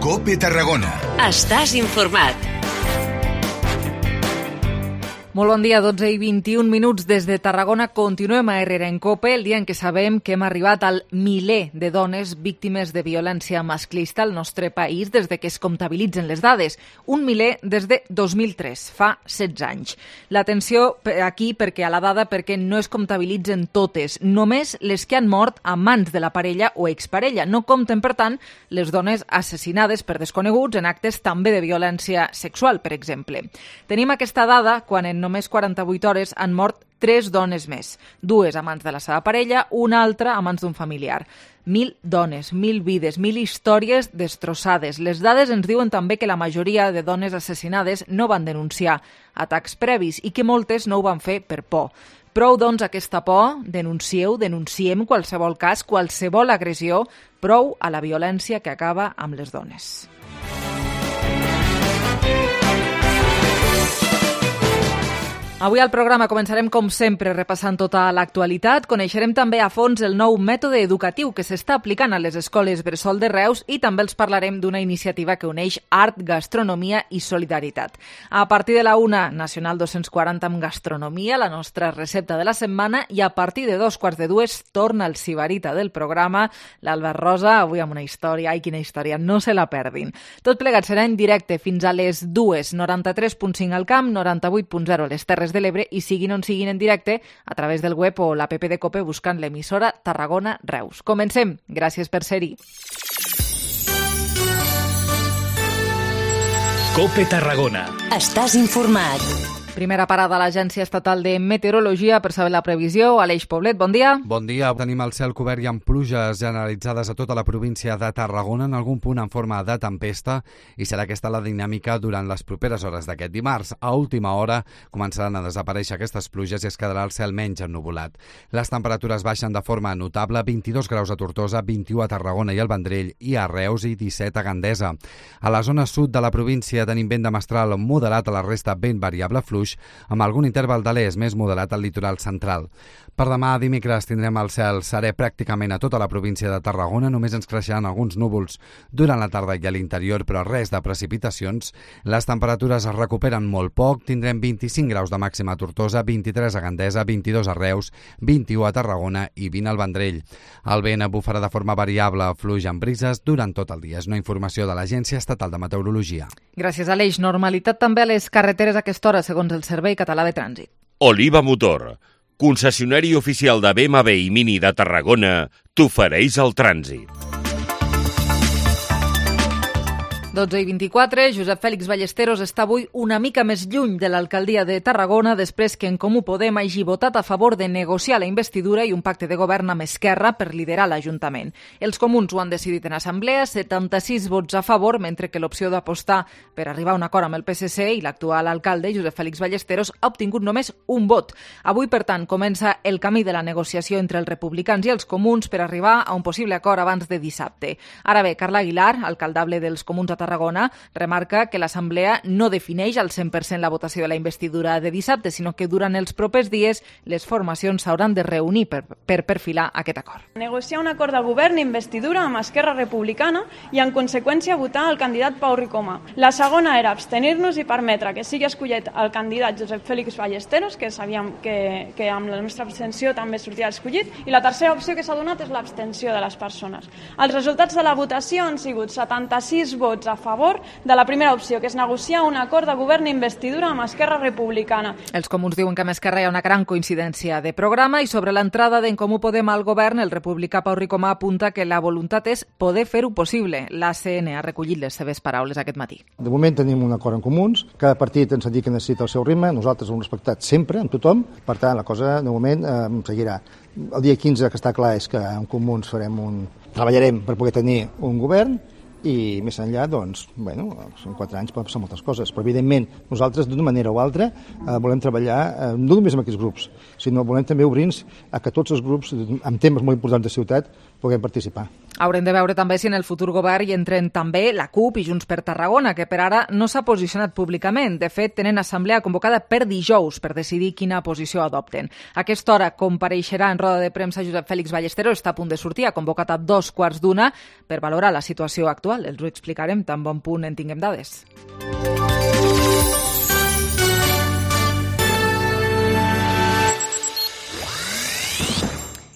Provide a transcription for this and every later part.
COPE Tarragona. Estàs informat. Molt bon dia, 12 i 21 minuts des de Tarragona. Continuem a Herrera en COPE, el dia en què sabem que hem arribat al miler de dones víctimes de violència masclista al nostre país des de que es comptabilitzen les dades. Un miler des de 2003, fa 16 anys. L'atenció aquí perquè a la dada perquè no es comptabilitzen totes, només les que han mort a mans de la parella o exparella. No compten, per tant, les dones assassinades per desconeguts en actes també de violència sexual, per exemple. Tenim aquesta dada quan en només 48 hores han mort 3 dones més. 2 a mans de la seva parella, una altra a mans d'un familiar. 1.000 dones, 1.000 vides, 1.000 històries destrossades. Les dades ens diuen també que la majoria de dones assassinades no van denunciar atacs previs i que moltes no ho van fer per por. Prou, doncs, aquesta por, denunciem qualsevol cas, qualsevol agressió, prou a la violència que acaba amb les dones. Avui al programa començarem, com sempre, repassant tota l'actualitat. Coneixerem també a fons el nou mètode educatiu que s'està aplicant a les escoles bressol de Reus i també els parlarem d'una iniciativa que uneix art, gastronomia i solidaritat. A partir de la 1, Nacional 240 amb gastronomia, la nostra recepta de la setmana, i a partir de 2:15 torna el sibarita del programa, l'Albert Rosa, avui amb una història. Ai, quina història, no se la perdin. Tot plegat serà en directe fins a les 2, 93.5 al camp, 98.0 a les Terres de l'Ebre i siguin on siguin en directe a través del web o l'app de COPE buscant l'emissora Tarragona Reus. Comencem. Gràcies per ser-hi. COPE Tarragona. Estàs informat. Primera parada a l'Agència Estatal de Meteorologia per saber la previsió. Aleix Poblet, bon dia. Bon dia. Tenim el cel cobert i amb pluges generalitzades a tota la província de Tarragona, en algun punt en forma de tempesta, i serà aquesta la dinàmica durant les properes hores d'aquest dimarts. A última hora començaran a desaparèixer aquestes pluges i es quedarà el cel menys ennuvolat. Les temperatures baixen de forma notable, 22 graus a Tortosa, 21 a Tarragona i al Vendrell i a Reus i 17 a Gandesa. A la zona sud de la província tenim vent de mestral moderat, a la resta vent variable fluix, amb algun interval de l'est més moderat al litoral central. Per demà, dimecres, tindrem el cel serè pràcticament a tota la província de Tarragona, només ens creixeran alguns núvols durant la tarda i a l'interior, però res de precipitacions. Les temperatures es recuperen molt poc, tindrem 25 graus de màxima a Tortosa, 23 a Gandesa, 22 a Reus, 21 a Tarragona i 20 al Vendrell. El vent bufarà de forma variable, fluix amb brises durant tot el dia. És una informació de l'Agència Estatal de Meteorologia. Gràcies, Aleix. Normalitat també a les carreteres a aquesta hora, segons el Servei Català de Trànsit. Oliva Motor, concessionari oficial de BMW i Mini de Tarragona, t'ofereix el trànsit. 12 i 24, Josep Fèlix Ballesteros està avui una mica més lluny de l'alcaldia de Tarragona després que En Comú Podem hagi votat a favor de negociar la investidura i un pacte de govern amb Esquerra per liderar l'Ajuntament. Els comuns ho han decidit en assemblea, 76 vots a favor, mentre que l'opció d'apostar per arribar a un acord amb el PSC i l'actual alcalde, Josep Fèlix Ballesteros, ha obtingut només un vot. Avui, per tant, comença el camí de la negociació entre els republicans i els comuns per arribar a un possible acord abans de dissabte. Ara bé, Carla Aguilar, alcaldable dels comuns a Tarragona, remarca que l'Assemblea no defineix al 100% la votació de la investidura de dissabte, sinó que durant els propers dies les formacions s'hauran de reunir per perfilar aquest acord. Negociar un acord de govern i investidura amb Esquerra Republicana i, en conseqüència, votar el candidat Pau Ricomà. La segona era abstenir-nos i permetre que sigui escollit el candidat Josep Fèlix Ballesteros, que sabíem que amb la nostra abstenció també sortia escollit, i la tercera opció que s'ha donat és l'abstenció de les persones. Els resultats de la votació han sigut 76 vots a favor de la primera opció, que és negociar un acord de govern i investidura amb Esquerra Republicana. Els comuns diuen que amb Esquerra hi ha una gran coincidència de programa i sobre l'entrada d'En Comú Podem al govern, el republicà Pau Ricomà apunta que la voluntat és poder fer-ho possible. L'ACN ha recollit les seves paraules aquest matí. De moment tenim un acord en comuns, cada partit ens ha dit que necessita el seu ritme, nosaltres ho hem respectat sempre, amb tothom, per tant la cosa de moment seguirà. El dia 15 que està clar és que en comuns treballarem per poder tenir un govern, i més enllà, doncs, són 4 anys, poden passar moltes coses, però evidentment nosaltres d'una manera o altra volem treballar no només amb aquests grups, sinó volem també obrir-nos a que tots els grups amb temes molt importants de ciutat puguem participar. Haurem de veure també si en el futur govern hi entren també la CUP i Junts per Tarragona, que per ara no s'ha posicionat públicament. De fet, tenen assemblea convocada per dijous per decidir quina posició adopten. A aquesta hora compareixerà en roda de premsa Josep Félix Ballesteros, està a punt de sortir, ha convocat a 2:15 per valorar la situació actual. Els ho explicarem tan bon punt en tinguem dades.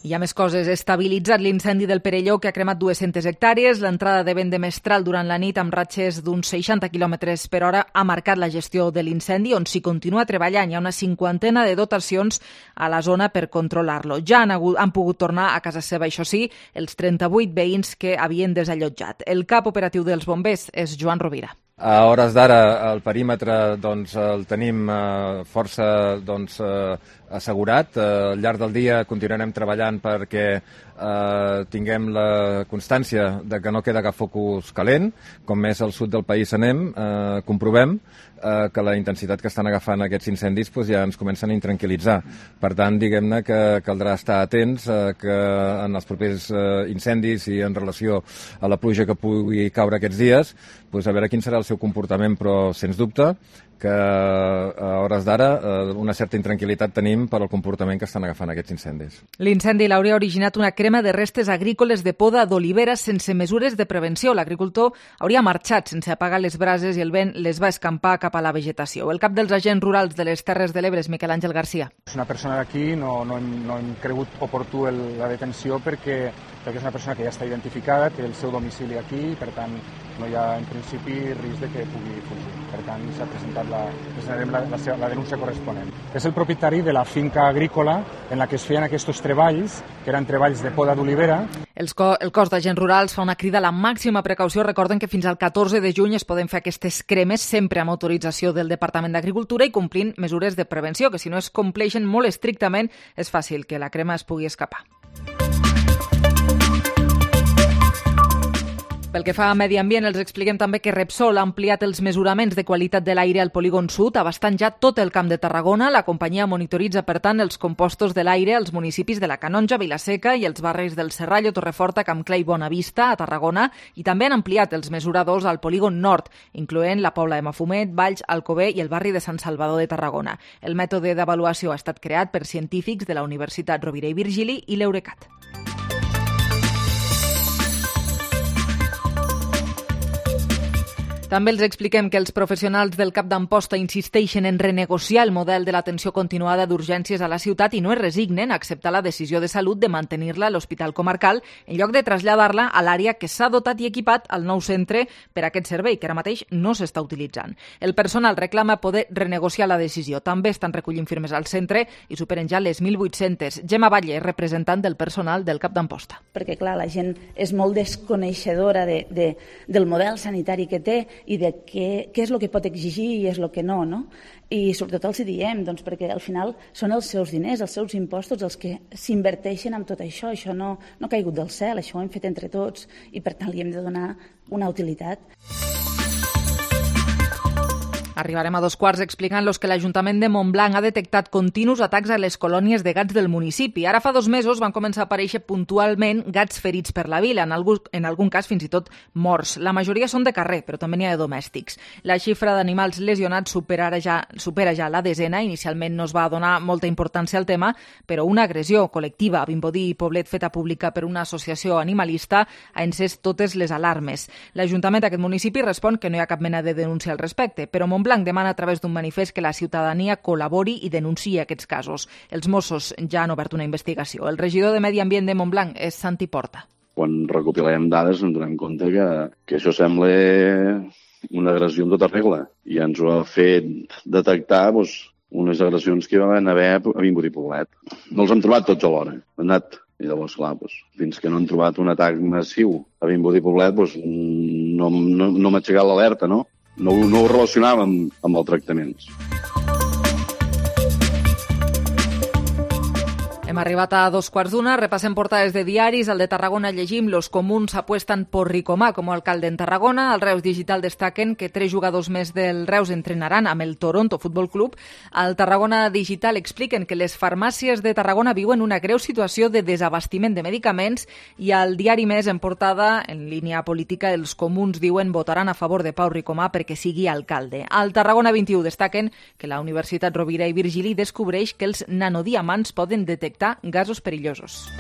Hi ha més coses. Estabilitzat l'incendi del Perelló, que ha cremat 200 hectàrees. L'entrada de vent de mestral durant la nit amb ratxes d'uns 60 km per hora ha marcat la gestió de l'incendi, on s'hi continua treballant. Hi ha una 50 de dotacions a la zona per controlar-lo. Ja han pogut tornar a casa seva, això sí, els 38 veïns que havien desallotjat. El cap operatiu dels bombers és Joan Rovira. A hores d'ara el perímetre el tenim força assegurat. Al llarg del dia continuarem treballant perquè tinguem la constància de que no queda cap focus calent. Com més al sud del país anem, comprovem que la intensitat que estan agafant aquests incendis ja ens comencen a intranquil·litzar. Per tant, diguem-ne que caldrà estar atents que en els propers incendis i en relació a la pluja que pugui caure aquests dies, a veure quin serà el seu comportament, però sens dubte que a hores d'ara una certa intranquil·litat tenim per al comportament que estan agafant aquests incendis. L'incendi l'hauria originat una crema de restes agrícoles de poda d'olivera sense mesures de prevenció. L'agricultor hauria marxat sense apagar les brases i el vent les va escampar cap a la vegetació. El cap dels agents rurals de les Terres de l'Ebre és Miquel Àngel Garcia. És una persona d'aquí, no hem cregut oportú la detenció perquè és una persona que ja està identificada, té el seu domicili aquí i per tant no hi ha en principi risc de que pugui fugir. Per tant presentarem la denúncia corresponent. És el propietari de la finca agrícola en la que es feien aquests treballs, que eren treballs de poda d'olivera. El cos d'agents rurals fa una crida a la màxima precaució. Recorden que fins al 14 de juny es poden fer aquestes cremes sempre amb autorització del Departament d'Agricultura i complint mesures de prevenció, que si no es compleixen molt estrictament és fàcil que la crema es pugui escapar. Pel que fa a medi ambient, els expliquem també que Repsol ha ampliat els mesuraments de qualitat de l'aire al polígon sud, abastant ja tot el Camp de Tarragona. La companyia monitoritza, per tant, els compostos de l'aire als municipis de la Canonja, Vilaseca i els barris del Serrallo, Torreforta, Campclar i Bonavista, a Tarragona, i també han ampliat els mesuradors al polígon nord, incloent la Pobla de Mafumet, Valls, Alcover i el barri de Sant Salvador de Tarragona. El mètode d'avaluació ha estat creat per científics de la Universitat Rovira i Virgili i l'Eurecat. També els expliquem que els professionals del Cap d'Amposta insisteixen en renegociar el model de l'atenció continuada d'urgències a la ciutat i no es resignen a acceptar la decisió de salut de mantenir-la a l'Hospital Comarcal en lloc de traslladar-la a l'àrea que s'ha dotat i equipat al nou centre per a aquest servei, que ara mateix no s'està utilitzant. El personal reclama poder renegociar la decisió. També estan recollint firmes al centre i superen ja les 1.800. Gemma Batlle, representant del personal del Cap d'Amposta. Perquè, clar, la gent és molt desconeixedora del model sanitari que té i de què és el que pot exigir i és el que no, no? I sobretot els hi diem, doncs, perquè al final són els seus diners, els seus impostos els que s'inverteixen en tot això. Això no ha caigut del cel, això ho hem fet entre tots i per tant li hem de donar una utilitat. Arribarem a 2:15 explicant-los que l'Ajuntament de Montblanc ha detectat continus atacs a les colònies de gats del municipi. Ara fa 2 mesos van començar a aparèixer puntualment gats ferits per la vila, en algun cas fins i tot morts. La majoria són de carrer, però també n'hi ha de domèstics. La xifra d'animals lesionats supera ja la desena. Inicialment no es va donar molta importància al tema, però una agressió col·lectiva a Vimbodí i Poblet feta pública per una associació animalista ha encès totes les alarmes. L'Ajuntament d'aquest municipi respon que no hi ha cap mena de denúncia al respecte, però Montblanc demana a través d'un manifest que la ciutadania col·labori i denunciï aquests casos. Els Mossos ja han obert una investigació. El regidor de Medi Ambient de Montblanc és Santi Porta. Quan recopilem dades ens donem compte que això sembla una agressió en tota regla i ens ho ha fet detectar unes agressions que hi van haver a Vimbodí i Poblet. No els hem trobat tots alhora. Han anat. I llavors, clar, fins que no han trobat un atac massiu a Vimbodí i Poblet, no m'ha aixecat l'alerta, no? No ho relacionàvem amb els tractaments. Hem arribat a 2:15, repassem portades de diaris. Al de Tarragona llegim: los comuns apuestan por Ricomà com a alcalde en Tarragona. Al Reus Digital destaquen que 3 jugadors més del Reus entrenaran amb el Toronto Futbol Club. Al Tarragona Digital expliquen que les farmàcies de Tarragona viuen una greu situació de desabastiment de medicaments. I al Diari Més, en portada, en línia política, els comuns diuen votaran a favor de Pau Ricomà perquè sigui alcalde. Al Tarragona 21 destaquen que la Universitat Rovira i Virgili descobreix que els nanodiamants poden detectar gasos perillosos.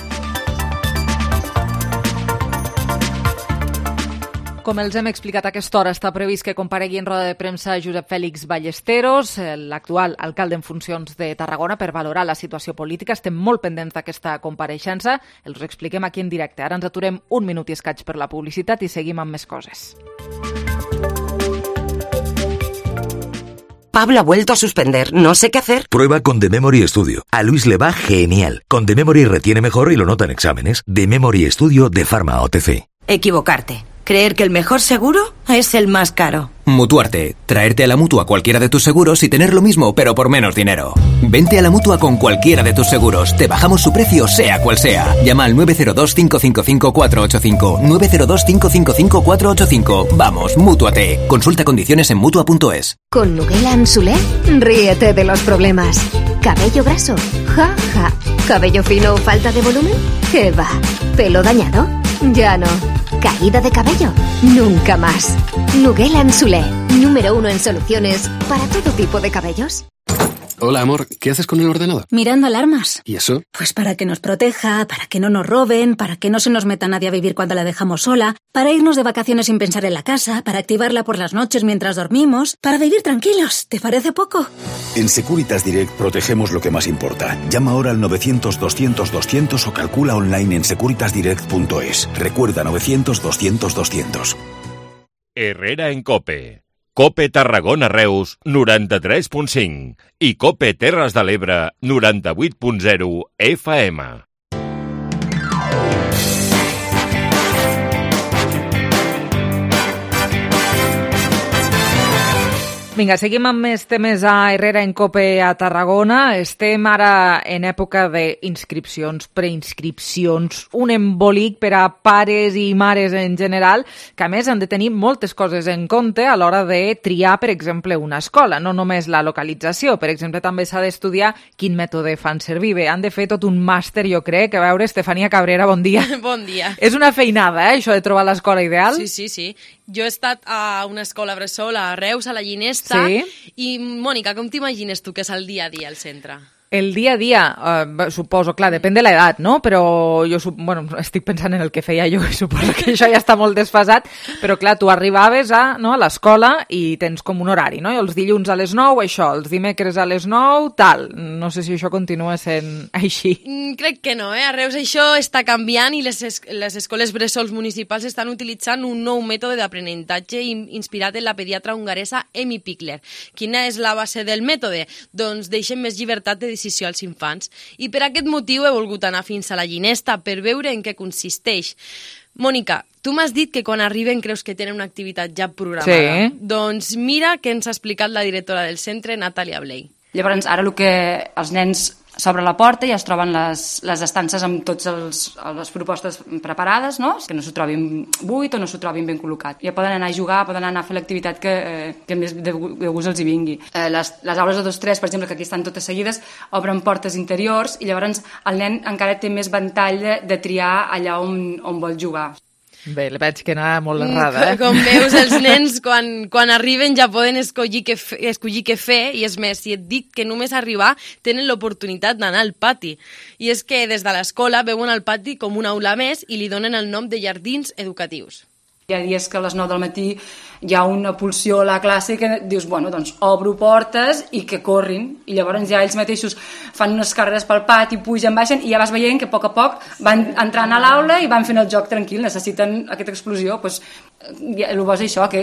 Com els hem explicat a aquesta hora, està previst que comparegui en roda de premsa Josep Fèlix Ballesteros, l'actual alcalde en funcions de Tarragona, per valorar la situació política. Estem molt pendents d'aquesta compareixença. Els ho expliquem aquí en directe. Ara ens aturem un minut i escaig per la publicitat i seguim amb més coses. Pablo ha vuelto a suspender. No sé qué hacer. Prueba con The Memory Studio. A Luis le va genial. Con The Memory retiene mejor y lo nota en exámenes. The Memory Studio de Pharma OTC. Equivocarte. Creer que el mejor seguro es el más caro. Mutuarte. Traerte a la Mutua cualquiera de tus seguros y tener lo mismo, pero por menos dinero. Vente a la Mutua con cualquiera de tus seguros. Te bajamos su precio, sea cual sea. Llama al 902-555-485. 902-555-485. Vamos, Mútuate. Consulta condiciones en Mutua.es. Con Nuguela Solé, ríete de los problemas. ¿Cabello graso? Ja, ja. ¿Cabello fino o falta de volumen? ¿Qué va? ¿Pelo dañado? Ya no. ¿Caída de cabello? Nunca más. Nuguela Solé, número 1 en soluciones para todo tipo de cabellos. Hola, amor, ¿qué haces con el ordenador? Mirando alarmas. ¿Y eso? Pues para que nos proteja, para que no nos roben, para que no se nos meta nadie a vivir cuando la dejamos sola, para irnos de vacaciones sin pensar en la casa, para activarla por las noches mientras dormimos, para vivir tranquilos. ¿Te parece poco? En Securitas Direct protegemos lo que más importa. Llama ahora al 900-200-200 o calcula online en securitasdirect.es. Recuerda 900-200-200. Herrera en COPE. COPE Tarragona Reus 93.5 i COPE Terres de l'Ebre 98.0 FM. Vinga, seguim amb més temes a Herrera en COPE a Tarragona. Estem ara en època d'inscripcions, preinscripcions, un embolic per a pares i mares en general, que a més han de tenir moltes coses en compte a l'hora de triar, per exemple, una escola. No només la localització, per exemple, també s'ha d'estudiar quin mètode fan servir. Bé, han de fer tot un màster, jo crec. A veure, Estefania Cabrera, bon dia. Bon dia. És una feinada, això de trobar l'escola ideal? Sí. Jo he estat a una escola bressol a Reus, a la Ginesta, sí. I, Mònica, com t'imagines tu que és el dia a dia al centre? El dia a dia, suposo, clar, depèn de l'edat, no? Però jo estic pensant en el que feia jo, i suposo que això ja està molt desfasat, però clar, tu arribaves a l'escola i tens com un horari, no? I els dilluns a les 9, això, els dimecres a les 9, tal. No sé si això continua sent així. Crec que no, A Reus això està canviant i les escoles bressols municipals estan utilitzant un nou mètode d'aprenentatge inspirat en la pediatra hongaresa Emi Pickler. Quina és la base del mètode? Doncs deixen més llibertat de decisió als infants. I per aquest motiu he volgut anar fins a la Ginesta per veure en què consisteix. Mònica, tu m'has dit que quan arriben creus que tenen una activitat ja programada. Sí. Doncs mira què ens ha explicat la directora del centre, Natàlia Blei. Llavors, ara el que els nens s'obre la porta i es troben les estances amb totes les propostes preparades, no? Que no s'ho trobin buit o no s'ho trobin ben col·locat. Ja poden anar a jugar, poden anar a fer l'activitat que més de gust els hi vingui. Les aules de 2-3, per exemple, que aquí estan totes seguides, obren portes interiors i llavors el nen encara té més ventall de triar allà on vol jugar. Bé, veig que anava molt errada, Com veus, els nens, quan arriben ja poden escollir què fer, i és més, si et dic que només arribar tenen l'oportunitat d'anar al pati. I és que des de l'escola veuen el pati com una aula més i li donen el nom de jardins educatius. Hi ha dies que a les 9 del matí hi ha una pulsió a la classe que dius, bueno, doncs obro portes i que corrin. I llavors ja ells mateixos fan unes carreres pel pati, pugen, baixen, i ja vas veient que a poc van entrant a l'aula i van fent el joc tranquil. Necessiten aquesta explosió. Doncs, el bo és això, que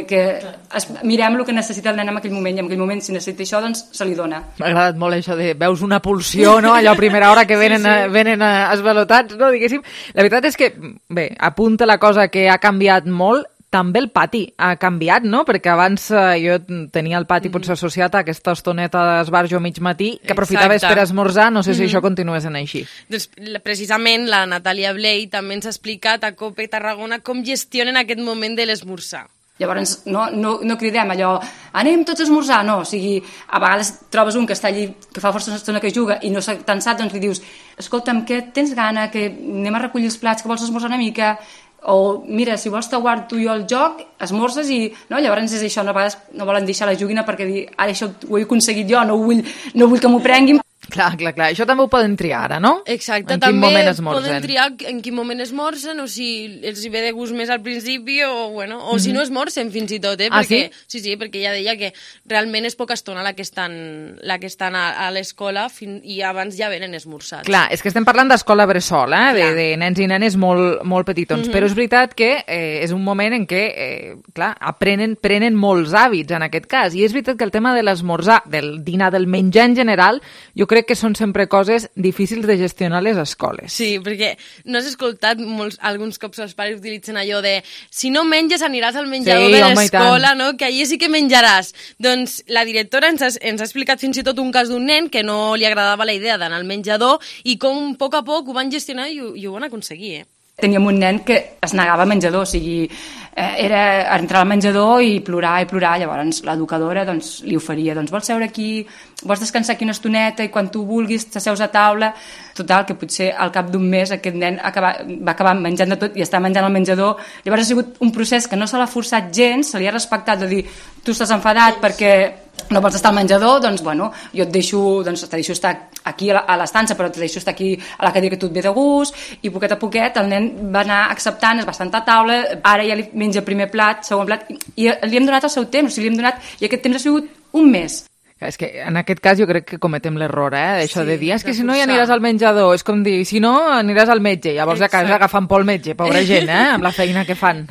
mirem el que necessita el nen en aquell moment, i en aquell moment, si necessita això, doncs se li dona. M'ha agradat molt això de veus una pulsió, no? Allò a primera hora que venen esvalotats, no? Diguéssim. La veritat és que, bé, apunta la cosa que ha canviat molt, També el pati ha canviat, no? Perquè abans jo tenia el pati potser associat a aquesta estoneta d'esbarjo a mig matí que aprofitaves per esmorzar, no sé si això continua sent així. Doncs precisament la Natàlia Blei també ens ha explicat a COPE Tarragona com gestionen aquest moment de l'esmorzar. Llavors no cridem allò, anem tots a esmorzar, no, o sigui, a vegades trobes un que està allí, que fa força estona que juga i no s'ha tensat, doncs li dius, escolta'm, que tens gana, que anem a recollir els plats, que vols esmorzar una mica, o mira, si vols t'aguard tu i jo el joc, esmorzes i... No? Llavors és això, a vegades no volen deixar la joguina perquè dir, ara això ho he aconseguit jo, no vull que m'ho prenguin. Clar, això també ho poden triar ara, no? Exacte, també poden triar en quin moment esmorzen o si els hi ve de gust més al principi o si no esmorzen fins i tot, perquè, sí, perquè ella deia que realment és poca estona la que estan a l'escola i abans ja venen esmorzats. Clar, és que estem parlant d'escola bressol, de nens i nenes molt petitons, però és veritat que és un moment en què, clar, prenen molts hàbits en aquest cas, i és veritat que el tema de l'esmorzar, del dinar, del menjar en general, jo crec que són sempre coses difícils de gestionar a les escoles. Sí, perquè no has escoltat alguns cops els pares utilitzen allò de si no menges aniràs al menjador de l'escola, no? Que allí sí que menjaràs. Doncs la directora ens ha explicat fins i tot un cas d'un nen que no li agradava la idea d'anar al menjador i com a poc ho van gestionar i ho van aconseguir, Teníem un nen que es negava al menjador, o sigui, era entrar al menjador i plorar, llavors l'educadora li oferia, vols seure aquí, vols descansar aquí una estoneta i quan tu vulguis t'asseus a taula. Total, que potser al cap d'un mes aquest nen va acabar menjant de tot i està menjant al menjador. Llavors ha sigut un procés que no se l'ha forçat gens, se li ha respectat de dir, tu estàs enfadat perquè no vols estar al menjador, jo te deixo estar aquí a l'estança, però te deixo estar aquí a la cadira que tu et ve de gust, i poquet a poquet el nen va anar acceptant, es va sentar a taula, ara ja li menja primer plat, segon plat, i li hem donat el seu temps, i aquest temps ha sigut un mes. És que en aquest cas jo crec que cometem l'error, d'això de dir, és que si no ja aniràs al menjador, és com dir, si no aniràs al metge, llavors a casa agafant por al metge, pobra gent, amb la feina que fan.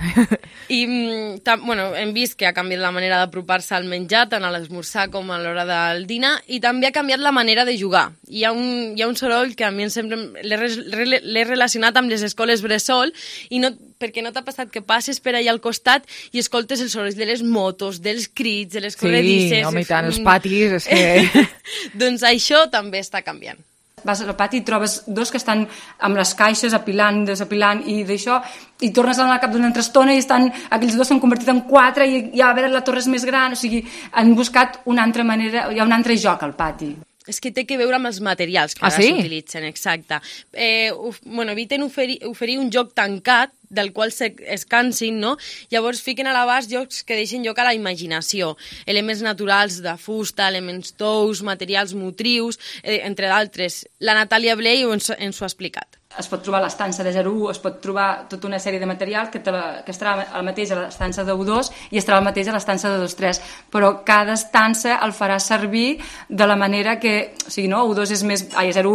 I, hem vist que ha canviat la manera d'apropar-se al menjar, tant a l'esmorzar com a l'hora del dinar, i també ha canviat la manera de jugar. Hi ha un soroll que a mi sempre l'he relacionat amb les escoles bressol, i no, perquè no t'ha passat que passes per allà al costat i escoltes els sorolls de les motos, dels crits, de les corredisses... Sí, home, i tant, els patis, és que... Doncs això també està canviant. Vas al pati i trobes dos que estan amb les caixes apilant, desapilant i d'això, i tornes a anar al cap d'una altra estona i aquells dos s'han convertit en 4 i a veure la torre és més gran, o sigui, han buscat una altra manera, hi ha un altre joc al pati. És que té que veure amb els materials que ara s'utilitzen, exacte. Eviten oferir un joc tancat del qual es cansin, no? Llavors fiquen a l'abast jocs que deixen lloc a la imaginació, elements naturals de fusta, elements tous, materials motrius, entre d'altres. La Natàlia Blei ens ho ha explicat. Es pot trobar a l'estança de 0-1, es pot trobar tota una sèrie de material que estarà el mateix a l'estança de 1-2 i estarà el mateix a l'estança de 2-3, però cada estança el farà servir de la manera que, o sigui, no? 0-1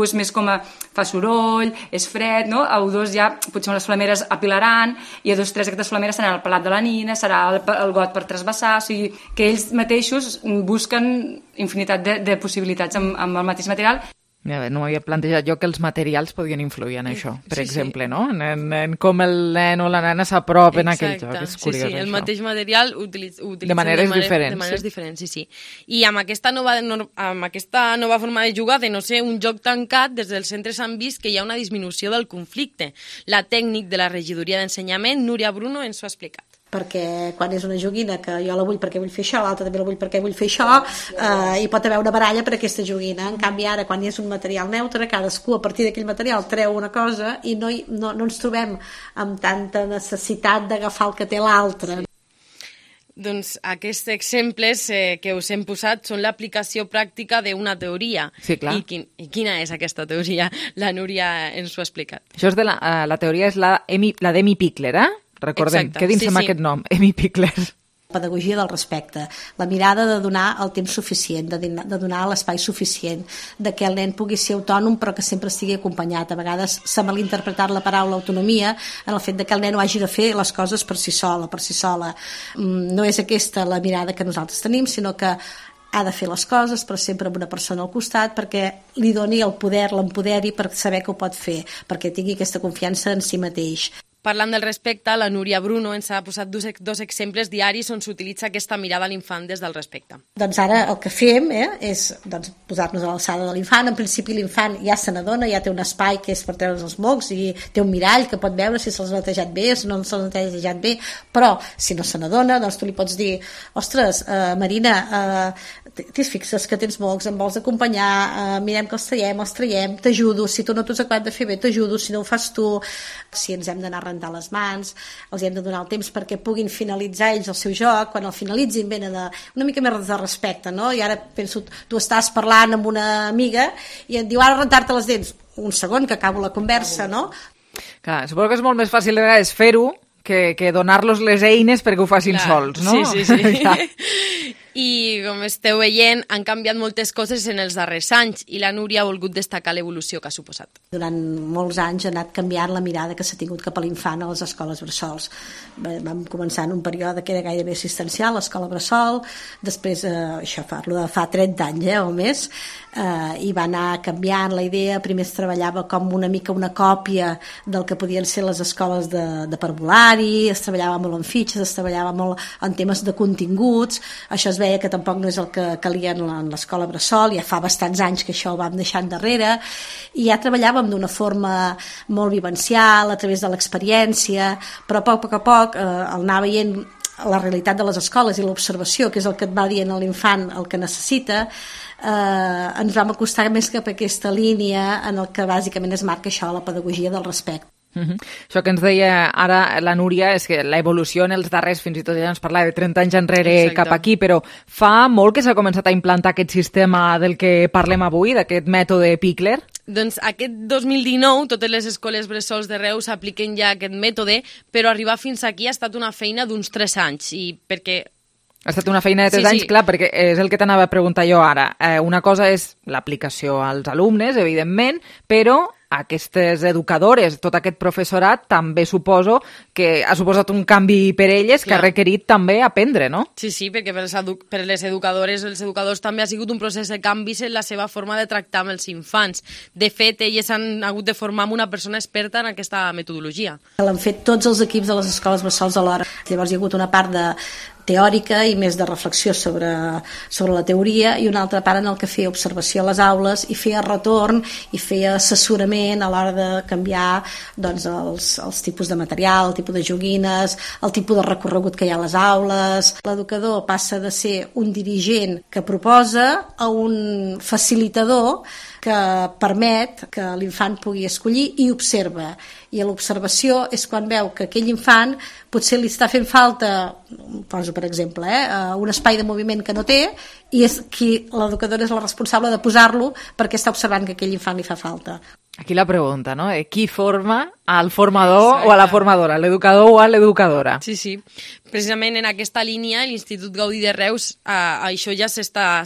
és més com a fa soroll, és fred, no? A 1-2 ja potser les flameres apilaran i a 2-3 aquestes flameres seran el pelat de la nina, serà el got per trasbassar, o sigui, que ells mateixos busquen infinitat de possibilitats amb el mateix material. No m'havia plantejat jo que els materials podien influir en això, per exemple, no? En com el nen o la nena s'apropen a aquell joc. És curiós, el mateix material utilitzen de maneres diferents. De maneres diferents, sí. I amb aquesta nova forma de jugar, de no ser un joc tancat, des dels centres han vist que hi ha una disminució del conflicte. La tècnic de la regidoria d'ensenyament, Núria Bruno, ens ho ha explicat. Perquè quan és una joguina que jo la vull perquè vull fer això, l'altra també la vull perquè vull fer això, hi pot haver una baralla per aquesta joguina. En canvi ara, quan és un material neutre, cadascú a partir d'aquell material treu una cosa i no ens trobem amb tanta necessitat d'agafar el que té l'altre. Doncs aquests exemples que us hem posat són l'aplicació pràctica d'una teoria. Sí, clar. I quina és aquesta teoria? La Núria ens ho ha explicat. Això és la teoria és la d'Emmy Pickler, Recordem, quedin-se amb aquest nom, Emmy Pickler. Pedagogia del respecte, la mirada de donar el temps suficient, de donar l'espai suficient, de que el nen pugui ser autònom però que sempre estigui acompanyat. A vegades s'ha malinterpretat la paraula autonomia en el fet de que el nen ho hagi de fer les coses per si sola. No és aquesta la mirada que nosaltres tenim, sinó que ha de fer les coses, però sempre amb una persona al costat perquè li doni el poder, l'empoderi per saber que ho pot fer, perquè tingui aquesta confiança en si mateix. Parlant del respecte, la Núria Bruno ens ha posat dos exemples diaris on s'utilitza aquesta mirada a l'infant des del respecte. Doncs ara el que fem és posar-nos a l'alçada de l'infant. En principi l'infant ja se n'adona, ja té un espai que és per treure's els mocs i té un mirall que pot veure si se'ls ha netejat bé o si no se'ls ha netejat bé, però si no se n'adona, doncs tu li pots dir: ostres, Marina, t'hi fixes que tens mocs, em vols acompanyar, mirem que els traiem, t'ajudo, si tu no t'ho has acabat de fer bé, t'ajudo, si no ho fas tu, si ens hem d'anar a rentar les mans, els hem de donar el temps perquè puguin finalitzar ells el seu joc, quan el finalitzin venen una mica més de respecte, no? I ara penso, tu estàs parlant amb una amiga i et diu: ara rentar-te les dents, un segon que acabo la conversa, no? Clar, suposo que és molt més fàcil de vegades fer-ho que donar-los les eines perquè ho facin sols, no? Sí. I, com esteu veient, han canviat moltes coses en els darrers anys i la Núria ha volgut destacar l'evolució que ha suposat. Durant molts anys ha anat canviant la mirada que s'ha tingut cap a l'infant a les escoles bressols. Vam començar en un període que era gairebé assistencial, l'escola bressol, després, això parlo de fa 30 anys o més, i va anar canviant la idea. Primer es treballava com una mica una còpia del que podien ser les escoles de parvulari, es treballava molt en fitxes, es treballava molt en temes de continguts. Això es veia que tampoc no és el que calia en l'escola bressol, ja fa bastants anys que això ho vam deixar endarrere, i ja treballàvem d'una forma molt vivencial, a través de l'experiència, però a poc a poc el anar veient la realitat de les escoles i l'observació, que és el que et va dient a l'infant el que necessita, ens vam acostar més cap a aquesta línia en el que bàsicament es marca això, la pedagogia del respecte. Això que ens deia ara la Núria és que l'evolució en els darrers, fins i tot ja ens parlava de 30 anys enrere cap aquí, però fa molt que s'ha començat a implantar aquest sistema del que parlem avui, d'aquest mètode Pikler? Doncs aquest 2019 totes les escoles bressols de Reus apliquen ja aquest mètode, però arribar fins aquí ha estat una feina d'uns 3 anys, i perquè... Ha estat una feina de 3 anys, clar, perquè és el que t'anava a preguntar jo ara. Una cosa és l'aplicació als alumnes, evidentment, però aquestes educadores, tot aquest professorat, també suposo que ha suposat un canvi per elles que ha requerit també aprendre, no? Sí, perquè per les educadores, els educadors també ha sigut un procés de canvis en la seva forma de tractar amb els infants. De fet, elles han hagut de formar una persona experta en aquesta metodologia. L'han fet tots els equips de les escoles bressols alhora. Llavors hi ha hagut una part teòrica i més de reflexió sobre la teoria, i una altra part en el que feia observació a les aules i feia retorn i feia assessorament a l'hora de canviar doncs, els tipus de material, el tipus de joguines, el tipus de recorregut que hi ha a les aules. L'educador passa de ser un dirigent que proposa a un facilitador que permet que l'infant pugui escollir i observa. I l'observació és quan veu que aquell infant potser li està fent falta, poso per exemple, un espai de moviment que no té, i és qui l'educadora és la responsable de posar-lo perquè està observant que aquell infant li fa falta. Aquí la pregunta, no? Qui forma al formador o a la formadora, l'educador o a l'educadora? Sí. Precisament en aquesta línia, l'Institut Gaudí de Reus, això ja s'està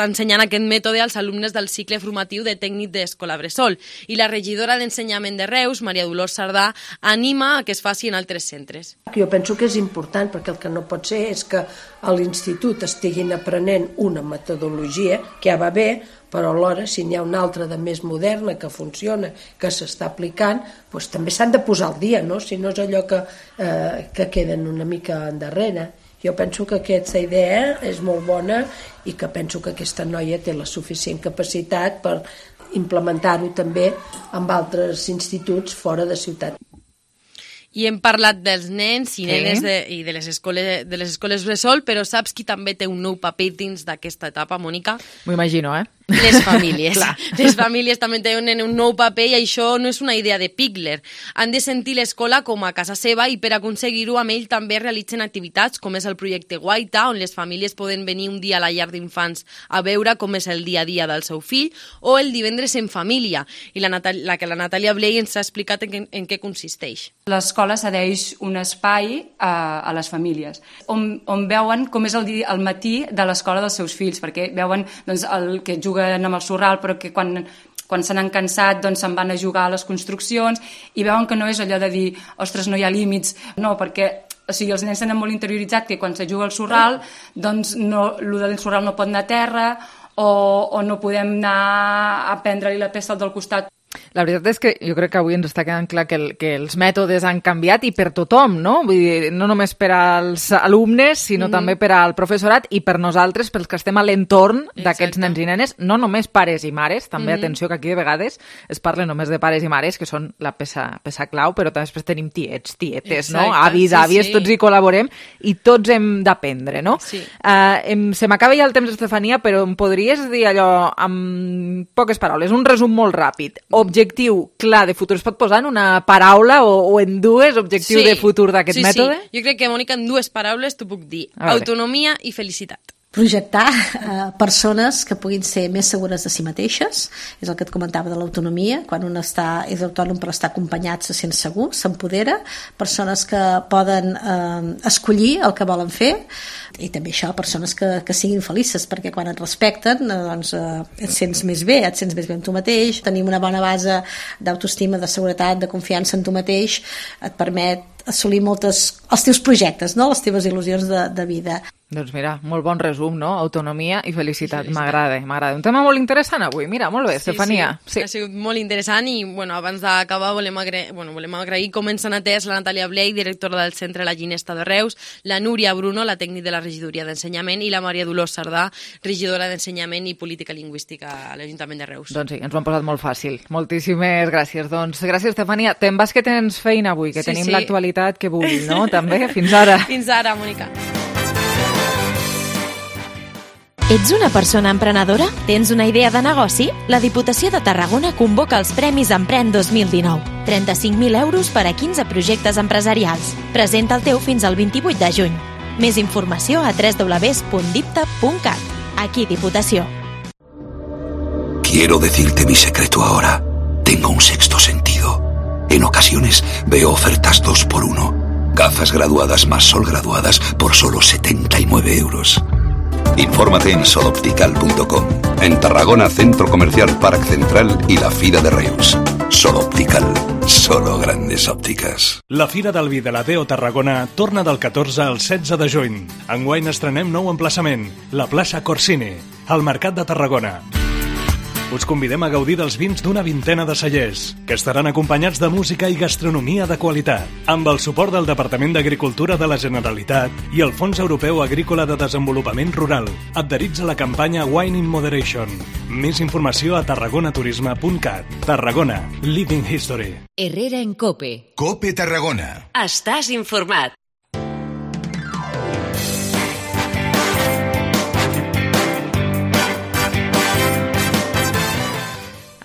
ensenyant aquest mètode als alumnes del cicle formatiu de tècnic d'escola bressol. I la regidora d'Ensenyament de Reus, Maria Dolors Sardà, anima a que es faci en altres centres. Jo penso que és important, perquè el que no pot ser és que a l'institut estiguin aprenent una metodologia que ja va bé, però alhora, si n'hi ha una altra de més moderna que funciona, que s'està aplicant, doncs també s'han de posar al dia, no? Si no és allò que queden una mica endarrere. Jo penso que aquesta idea és molt bona i que penso que aquesta noia té la suficient capacitat per implementar-ho també amb altres instituts fora de ciutat. I hem parlat dels nens i nenes i de les escoles bressol, però saps qui també té un nou paper dins d'aquesta etapa, Mònica? M'ho imagino, Les famílies. Les famílies també tenen un nou paper i això no és una idea de Pikler. Han de sentir l'escola com a casa seva i per aconseguir-ho amb ell també realitzen activitats com és el projecte Guaita, on les famílies poden venir un dia a la llar d'infants a veure com és el dia a dia del seu fill, o el divendres en família. I la Natàlia Blei ens ha explicat en què consisteix. L'escola cedeix un espai a les famílies on veuen com és el matí de l'escola dels seus fills, perquè veuen doncs, el que juguen amb el sorral, però que quan se n'han cansat doncs se'n van a jugar a les construccions, i veuen que no és allò de dir, ostres, no hi ha límits, no, perquè els nens tenen molt interioritzat que quan se juga al sorral, doncs el del sorral no pot anar a terra, o no podem anar a prendre-li la pesta al del costat. La veritat és que jo crec que avui ens està quedant clar que els mètodes han canviat i per tothom, no? Vull dir, no només per als alumnes, sinó també per al professorat i per nosaltres, pels que estem a l'entorn d'aquests nens i nenes, no només pares i mares, també atenció que aquí de vegades es parla només de pares i mares, que són la peça clau, però també després tenim tiets, tietes, no? Avis, àvies, tots hi col·laborem i tots hem d'aprendre, no? Se m'acaba ja el temps, Estefania, però em podries dir allò amb poques paraules, un resum molt ràpid. Objectiu clar de futur. Es pot posar en una paraula o en dues, objectiu de futur d'aquest mètode? Sí. Jo crec que, Mònica, en dues paraules t'ho puc dir. Autonomia i felicitat. Projectar persones que puguin ser més segures de si mateixes, és el que et comentava de l'autonomia, quan un és autònom però està acompanyat, se sent segur, s'empodera, persones que poden escollir el que volen fer, i també això, persones que siguin felices, perquè quan et respecten doncs, et sents més bé, amb tu mateix, tenim una bona base d'autoestima, de seguretat, de confiança en tu mateix, et permet assolir els teus projectes, no? Les teves il·lusions de vida. Doncs mira, molt bon resum, no? Autonomia i felicitat. M'agrada. Un tema molt interessant avui. Mira, molt bé, Estefania. Sí. Ha sigut molt interessant i, abans d'acabar volem agrair com ens han atès la Natàlia Blei, directora del Centre La Ginesta de Reus, la Núria Bruno, la tècnic de la Regidoria d'Ensenyament, i la Maria Dolors Sardà, regidora d'Ensenyament i Política Lingüística a l'Ajuntament de Reus. Doncs sí, ens ho han posat molt fàcil. Moltíssimes gràcies. Doncs gràcies, Estefania. Te'n vas que tens feina avui, que tenim l'actualitat que vulgui, no? També. Fins ara. Fins ara, Mònica. Ets una persona emprenedora? Tens una idea de negoci? La Diputació de Tarragona convoca els Premis Empren 2019. 35.000 euros per a 15 projectes empresarials. Presenta el teu fins al 28 de juny. Més informació a www.dipta.cat. Aquí Diputació. Quiero decirte mi secreto ahora. Tengo un sexto sentido. En ocasiones veo ofertas 2x1. Gafas graduadas más sol graduadas por solo 79 euros. Infórmate en soloptical.com. En Tarragona, Centro Comercial Parc Central i la Fira de Reus. Sol Optical. Solo grandes òptiques. La Fira del Vi de la Deo Tarragona torna del 14 al 16 de juny. Enguany estrenem nou emplaçament, la plaça Corsini, al Mercat de Tarragona. Us convidem a gaudir dels vins d'una vintena de cellers, que estaran acompanyats de música i gastronomia de qualitat, amb el suport del Departament d'Agricultura de la Generalitat i el Fons Europeu Agrícola de Desenvolupament Rural. Adherits a la campanya Wine in Moderation. Més informació a tarragonaturisme.cat. Tarragona, Living History. Herrera en COPE. COPE Tarragona. Estàs informat.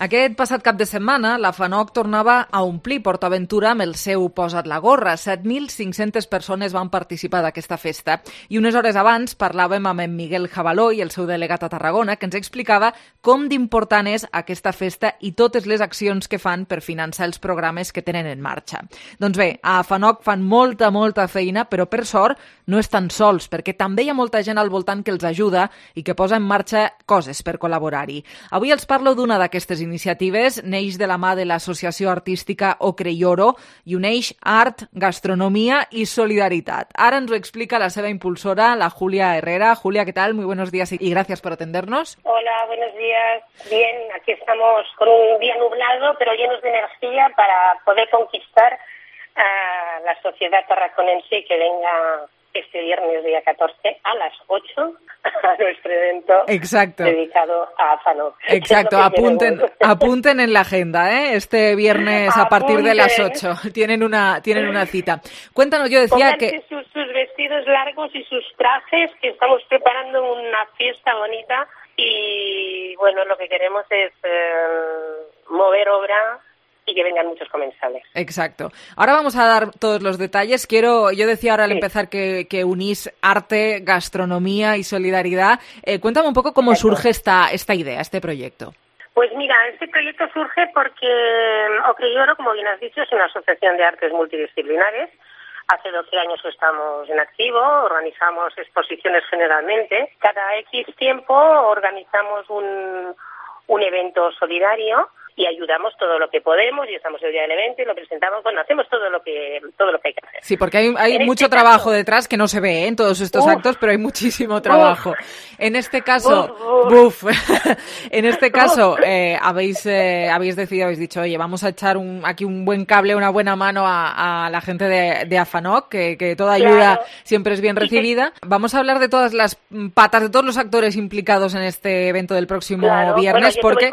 Aquest passat cap de setmana, la FANOC tornava a omplir PortAventura amb el seu Posa't la gorra. 7.500 persones van participar d'aquesta festa. I unes hores abans parlàvem amb en Miguel Jabaló i el seu delegat a Tarragona, que ens explicava com d'important és aquesta festa i totes les accions que fan per finançar els programes que tenen en marxa. Doncs bé, a FANOC fan molta feina, però per sort no estan sols, perquè també hi ha molta gent al voltant que els ajuda i que posa en marxa coses per col·laborar-hi. Avui els parlo d'una d'aquestes iniciatives, neix de la mà de l'associació artística Ocreyoro i uneix art, gastronomia y solidaridad. Ahora nos lo explica la seva impulsora, la Julia Herrera. Julia, ¿qué tal? Muy buenos días y gracias por atendernos. Hola, buenos días. Bien, aquí estamos con un día nublado, pero llenos de energía para poder conquistar a la sociedad tarraconense y que venga este viernes día 14 a las 8 a nuestro evento dedicado a FANOC. Exacto, apunten en la agenda, ¿eh? Este viernes a partir de las 8 tienen una cita. Cuéntanos, yo decía que sus vestidos largos y sus trajes, que estamos preparando una fiesta bonita y bueno, lo que queremos es mover obra y que vengan muchos comensales. Exacto. Ahora vamos a dar todos los detalles. Yo decía ahora al empezar que unís arte, gastronomía y solidaridad. Cuéntame un poco cómo surge esta idea, este proyecto. Pues mira, este proyecto surge porque Ocreyoro, como bien has dicho, es una asociación de artes multidisciplinares. Hace 12 años que estamos en activo, organizamos exposiciones generalmente. Cada X tiempo organizamos un evento solidario. y ayudamos todo lo que podemos, y estamos el día del evento y lo presentamos, bueno, hacemos todo lo que hay que hacer. Sí, porque hay mucho trabajo detrás que no se ve en todos estos actos, pero hay muchísimo trabajo. En este caso, en este caso habéis decidido, habéis dicho, oye, vamos a echar aquí un buen cable, una buena mano a la gente de AFANOC, que toda ayuda siempre es bien recibida. Vamos a hablar de todas las patas, de todos los actores implicados en este evento del próximo viernes, porque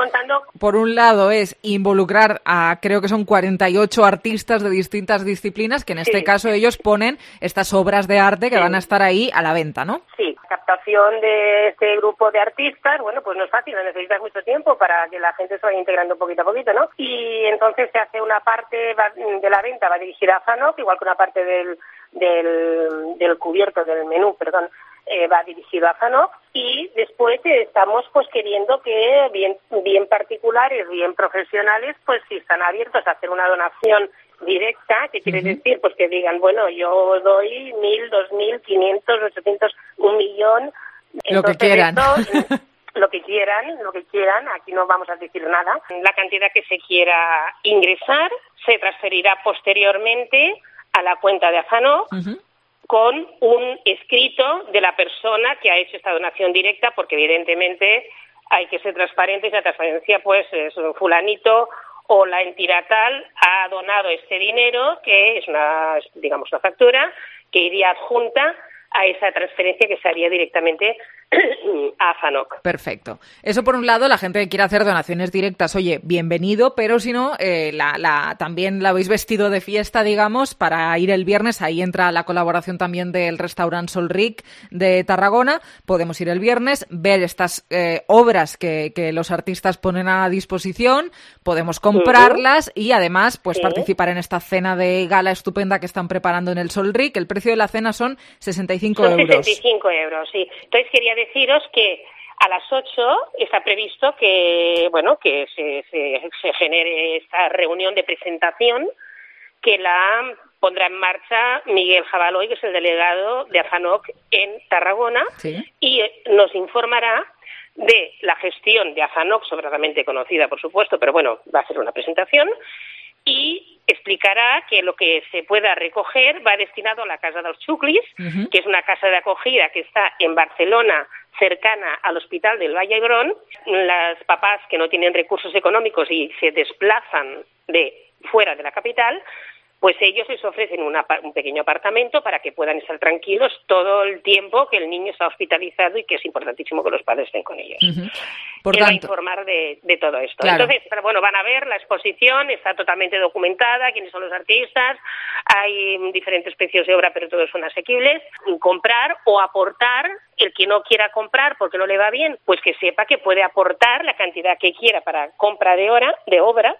por un lado es involucrar a, creo que son 48 artistas de distintas disciplinas, que en este caso ellos ponen estas obras de arte que van a estar ahí a la venta, ¿no? Sí, la captación de este grupo de artistas, bueno, pues no es fácil, necesitas mucho tiempo para que la gente se vaya integrando poquito a poquito, ¿no? Y entonces se hace una parte de la venta, va dirigida a AFANOC, igual que una parte del cubierto, del menú, perdón, va dirigido a AFANOC, y después estamos pues queriendo que bien particulares, bien profesionales, pues si están abiertos a hacer una donación directa, que quiere decir pues que digan, bueno, yo doy 1.000, 2.000, 500, 800, 1 millón, lo que quieran. Lo que quieran, aquí no vamos a decir nada. La cantidad que se quiera ingresar se transferirá posteriormente a la cuenta de AFANOC, con un escrito de la persona que ha hecho esta donación directa, porque evidentemente hay que ser transparentes, y la transparencia pues es un fulanito o la entidad tal ha donado este dinero, que es una factura que iría adjunta a esa transferencia que se haría directamente a AFANOC. Perfecto. Eso por un lado, la gente que quiere hacer donaciones directas, oye, bienvenido, pero si no, también la habéis vestido de fiesta, digamos, para ir el viernes. Ahí entra la colaboración también del restaurant Solric de Tarragona. Podemos ir el viernes, ver estas obras que los artistas ponen a disposición, podemos comprarlas y además pues participar en esta cena de gala estupenda que están preparando en el Solric. El precio de la cena son 65 euros. 65 euros, sí. Entonces quería deciros que a las 8 está previsto que se genere esta reunión de presentación, que la pondrá en marcha Miguel Jabaloy, que es el delegado de AFANOC en Tarragona, y nos informará de la gestión de AFANOC, sobradamente conocida, por supuesto, pero bueno, va a ser una presentación, y explicará que lo que se pueda recoger va destinado a la Casa dels Xuclis, que es una casa de acogida que está en Barcelona, cercana al Hospital del Vall d'Hebron. Las papás que no tienen recursos económicos y se desplazan de fuera de la capital, pues ellos les ofrecen un pequeño apartamento para que puedan estar tranquilos todo el tiempo que el niño está hospitalizado, y que es importantísimo que los padres estén con ellos. Por tanto, va a informar de todo esto. Claro. Entonces, pero bueno, van a ver la exposición, está totalmente documentada, quiénes son los artistas, hay diferentes precios de obra, pero todos son asequibles. Comprar o aportar, el que no quiera comprar porque no le va bien, pues que sepa que puede aportar la cantidad que quiera para compra de obra.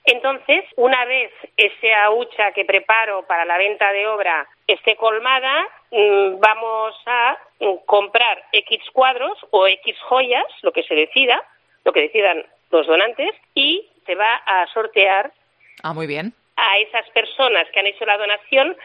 Entonces, una vez esa hucha que preparo para la venta de obra esté colmada, vamos a comprar X cuadros o X joyas, lo que decidan los donantes, y se va a sortear muy bien. A esas personas que han hecho la donación,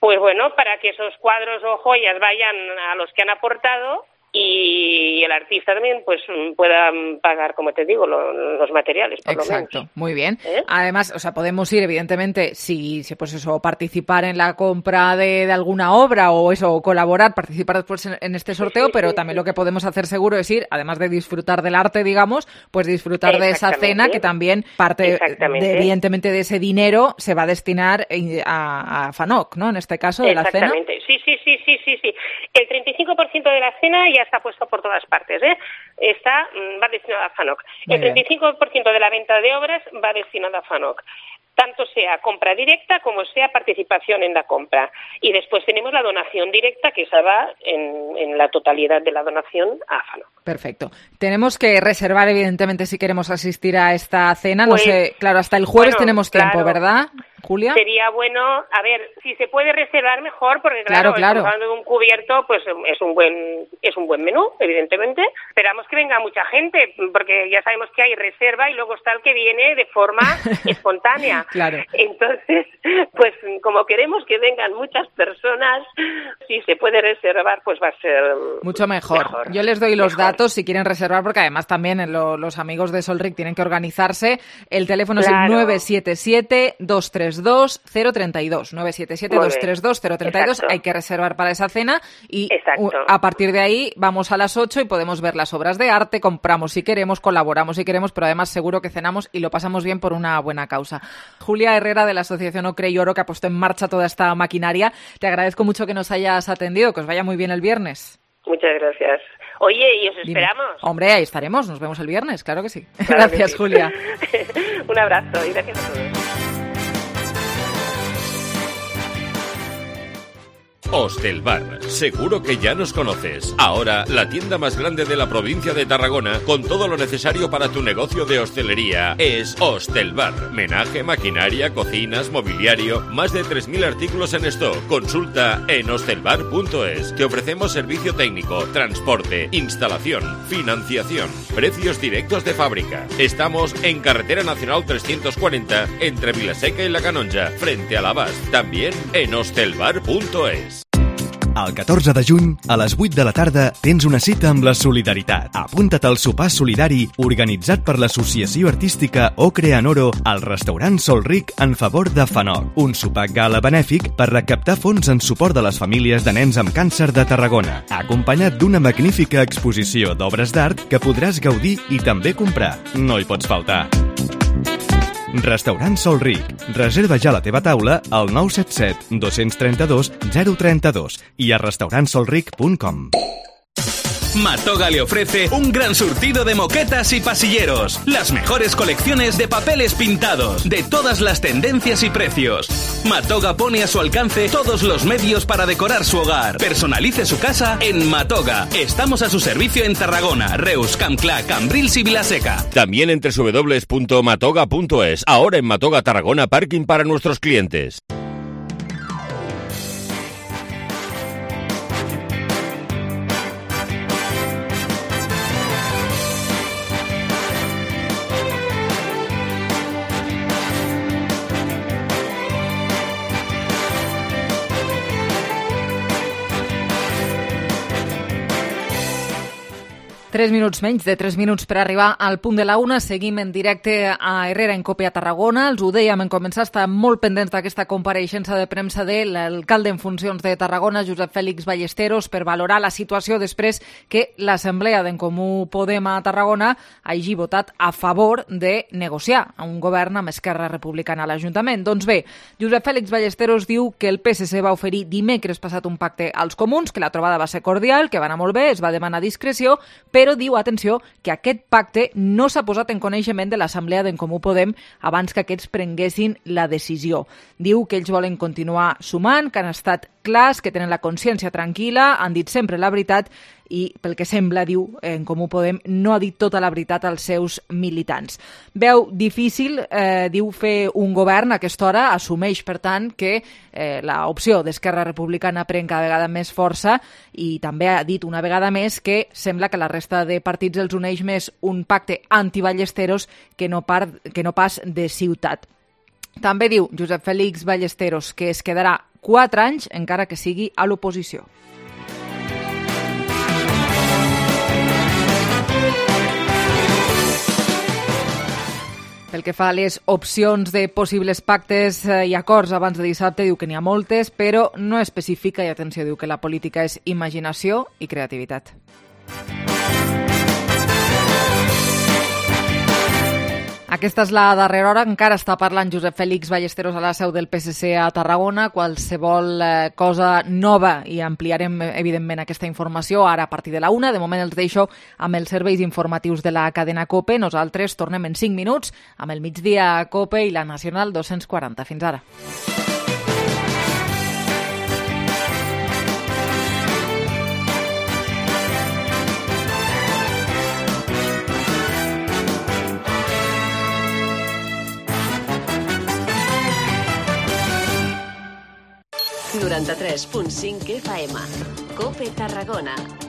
pues bueno, para que esos cuadros o joyas vayan a los que han aportado, y el artista también pues pueda pagar, como te digo, los materiales, por lo menos. Exacto, muy bien. Además, o sea, podemos ir, evidentemente, si pues eso, participar en la compra de alguna obra o eso, colaborar, participar después en este sorteo, pero también lo que podemos hacer seguro es ir, además de disfrutar del arte, digamos, pues disfrutar de esa cena, que también parte, evidentemente, de ese dinero se va a destinar a AFANOC, ¿no? En este caso, de la cena. Exactamente, sí. El 35% de la cena ya está puesto por todas partes, va destinado a AFANOC. El 35% de la venta de obras va destinado a AFANOC, tanto sea compra directa como sea participación en la compra. Y después tenemos la donación directa, que esa va en la totalidad de la donación a AFANOC. Perfecto. Tenemos que reservar, evidentemente, si queremos asistir a esta cena. Pues, no sé, claro, hasta el jueves tenemos tiempo, ¿verdad? Julia. Sería bueno, a ver, si se puede reservar mejor, porque claro. Estamos hablando de un cubierto, pues es un buen menú, evidentemente. Esperamos que venga mucha gente, porque ya sabemos que hay reserva y luego está el que viene de forma espontánea. Claro. Entonces, pues como queremos que vengan muchas personas, si se puede reservar, pues va a ser mucho mejor. Yo les doy los datos si quieren reservar, porque además también los amigos de Solric tienen que organizarse. El teléfono es el 977-232-032. 977-232-032. Hay que reservar para esa cena y a partir de ahí vamos a las 8 y podemos ver las obras de arte, compramos si queremos, colaboramos si queremos, pero además seguro que cenamos y lo pasamos bien por una buena causa. Julia Herrera, de la Asociación Ocre y Oro, que ha puesto en marcha toda esta maquinaria, te agradezco mucho que nos hayas atendido, que os vaya muy bien el viernes. Muchas gracias. Oye, y os esperamos. Hombre, ahí estaremos, nos vemos el viernes, claro que sí. Claro gracias, que sí. Julia. Un abrazo y gracias a todos. Hostelbar, seguro que ya nos conoces. Ahora, la tienda más grande de la provincia de Tarragona, con todo lo necesario para tu negocio de hostelería, es Hostelbar. Menaje, maquinaria, cocinas, mobiliario, más de 3.000 artículos en stock. Consulta en hostelbar.es. Te ofrecemos servicio técnico, transporte, instalación, financiación, precios directos de fábrica. Estamos en Carretera Nacional 340, entre Vilaseca y La Canonja, frente a l'Abast. También en hostelbar.es. El 14 de juny, a les 8 de la tarda, tens una cita amb la solidaritat. Apunta't al sopar solidari organitzat per l'Associació Artística Ocre en Oro al restaurant Solric en favor de FANOC. Un sopar gala benèfic per recaptar fons en suport de les famílies de nens amb càncer de Tarragona, acompanyat d'una magnífica exposició d'obres d'art que podràs gaudir i també comprar. No hi pots faltar. Restaurant Solric. Reserva ja la teva taula al 977 232 032 i a restaurantsolric.com. Matoga le ofrece un gran surtido de moquetas y pasilleros, las mejores colecciones de papeles pintados, de todas las tendencias y precios. Matoga pone a su alcance todos los medios para decorar su hogar. Personalice su casa en Matoga. Estamos a su servicio en Tarragona, Reus, Campclà, Cambrils y Vilaseca. También en www.matoga.es. Ahora en Matoga Tarragona, parking para nuestros clientes. Tres minuts menys de 3 minuts per arribar al punt de la una. Seguim en directe a Herrera en Cope a Tarragona. Els ho dèiem en començar, està molt pendents d'aquesta compareixença de premsa de l'alcalde en funcions de Tarragona, Josep Fèlix Ballesteros, per valorar la situació després que l'Assemblea d'en Comú Podem a Tarragona hagi votat a favor de negociar a un govern amb Esquerra Republicana a l'Ajuntament. Doncs bé, Josep Fèlix Ballesteros diu que el PSC va oferir dimecres passat un pacte als comuns, que la trobada va ser cordial, que va anar molt bé, es va demanar discreció, però diu, atenció, que aquest pacte no s'ha posat en coneixement de l'Assemblea d'en Comú Podem abans que aquests prenguessin la decisió. Diu que ells volen continuar sumant, que han estat clars, que tenen la consciència tranquil·la, han dit sempre la veritat i, pel que sembla, diu, en Comú Podem no ha dit tota la veritat als seus militants. Veu difícil, diu, fer un govern a aquesta hora, assumeix, per tant, que l'opció d'Esquerra Republicana pren cada vegada més força i també ha dit una vegada més que sembla que la resta de partits els uneix més un pacte anti-Ballesteros que no pas de ciutat. També diu Josep Fèlix Ballesteros que es quedarà 4 anys encara que sigui a l'oposició. Pel que fa a les opcions de possibles pactes i acords abans de dissabte, diu que n'hi ha moltes, però no especifica, i atenció, diu que la política és imaginació i creativitat. Aquesta és la darrera hora. Encara està parlant Josep Fèlix Ballesteros a la seu del PSC a Tarragona. Qualsevol cosa nova i ampliarem, evidentment, aquesta informació ara a partir de la 1. De moment els deixo amb els serveis informatius de la cadena COPE. Nosaltres tornem en 5 minuts amb el migdia COPE i la Nacional 240. Fins ara. 93.5 FM. COPE Tarragona.